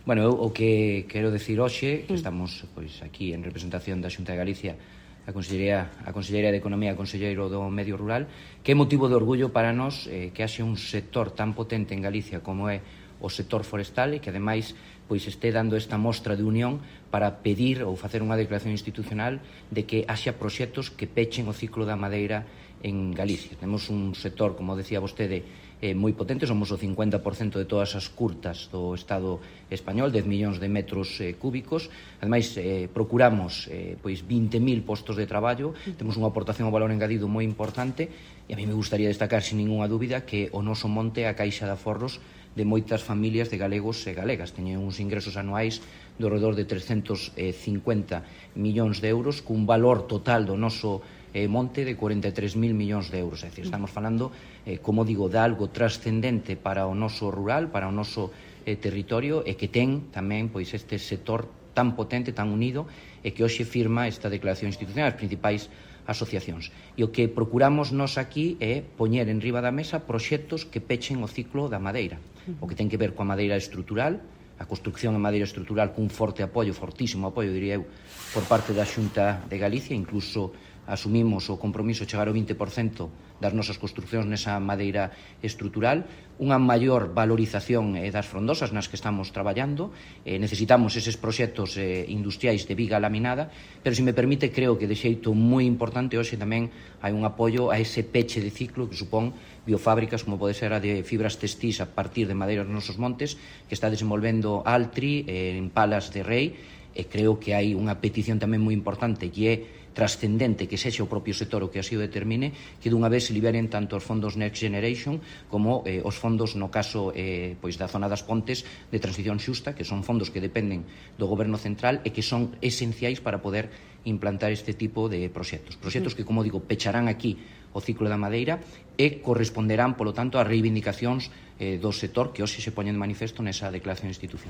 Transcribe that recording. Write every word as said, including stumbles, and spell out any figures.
Bueno, eu o que quero decir hoxe, que estamos pois aquí en representación da Xunta de Galicia, a Consellería, a Conselleira de Economía, a Conselleiro do Medio Rural, que é motivo de orgullo para nós eh, que haxe un sector tan potente en Galicia como é o sector forestal e que, ademais, pois este dando esta mostra de unión para pedir ou facer unha declaración institucional de que haxa proxectos que pechen o ciclo da madeira en Galicia. Temos un sector, como decía vostede, eh, moi potente, somos o cincuenta por cento de todas as curtas do Estado español, dez millóns de metros eh, cúbicos. Ademais, eh, procuramos eh, pois vinte mil postos de traballo, temos unha aportación ao valor engadido moi importante e a mí me gustaría destacar, sin ninguna dúbida, que o noso monte é a caixa de aforros de moitas familias de galegos e galegas. Teñen uns ingresos anuais do redor de trescentos cincuenta millóns de euros, cun valor total do noso eh, monte de cuarenta e tres mil millóns de euros. É dicir, estamos falando, eh, como digo, de algo trascendente para o noso rural, para o noso eh, territorio, e que ten tamén pois este sector tan potente, tan unido, e que hoxe firma esta declaración institucional, as principais asociacións. E o que procuramos nós aquí é poñer en riba da mesa proxectos que pechen o ciclo da madeira, o que ten que ver coa madeira estrutural, a construcción en madeira estrutural cun forte apoio, fortísimo apoio, diría eu, por parte da Xunta de Galicia. Incluso asumimos o compromiso de chegar ao vinte por cento das nosas construccións nesa madeira estrutural, unha maior valorización eh, das frondosas nas que estamos traballando. Eh, necesitamos eses proxectos eh, industriais de viga laminada, pero, se me permite, creo que de xeito moi importante hoxe tamén hai un apoio a ese peche de ciclo que supón biofábricas como pode ser a de fibras textís a partir de madeiras nos nosos montes, que está desenvolvendo Altri eh, en Palas de Rei, e creo que hai unha petición tamén moi importante que é trascendente que sexa o propio sector o que así o determine, que dunha vez se liberen tanto os fondos Next Generation como eh, os fondos, no caso eh, pois da zona das Pontes, de transición xusta, que son fondos que dependen do Goberno central e que son esenciais para poder implantar este tipo de proxectos. Proxectos que, como digo, pecharán aquí o ciclo da madeira e corresponderán, polo tanto, ás reivindicacións eh, do sector que hoxe se poñen de manifesto nesa declaración institucional.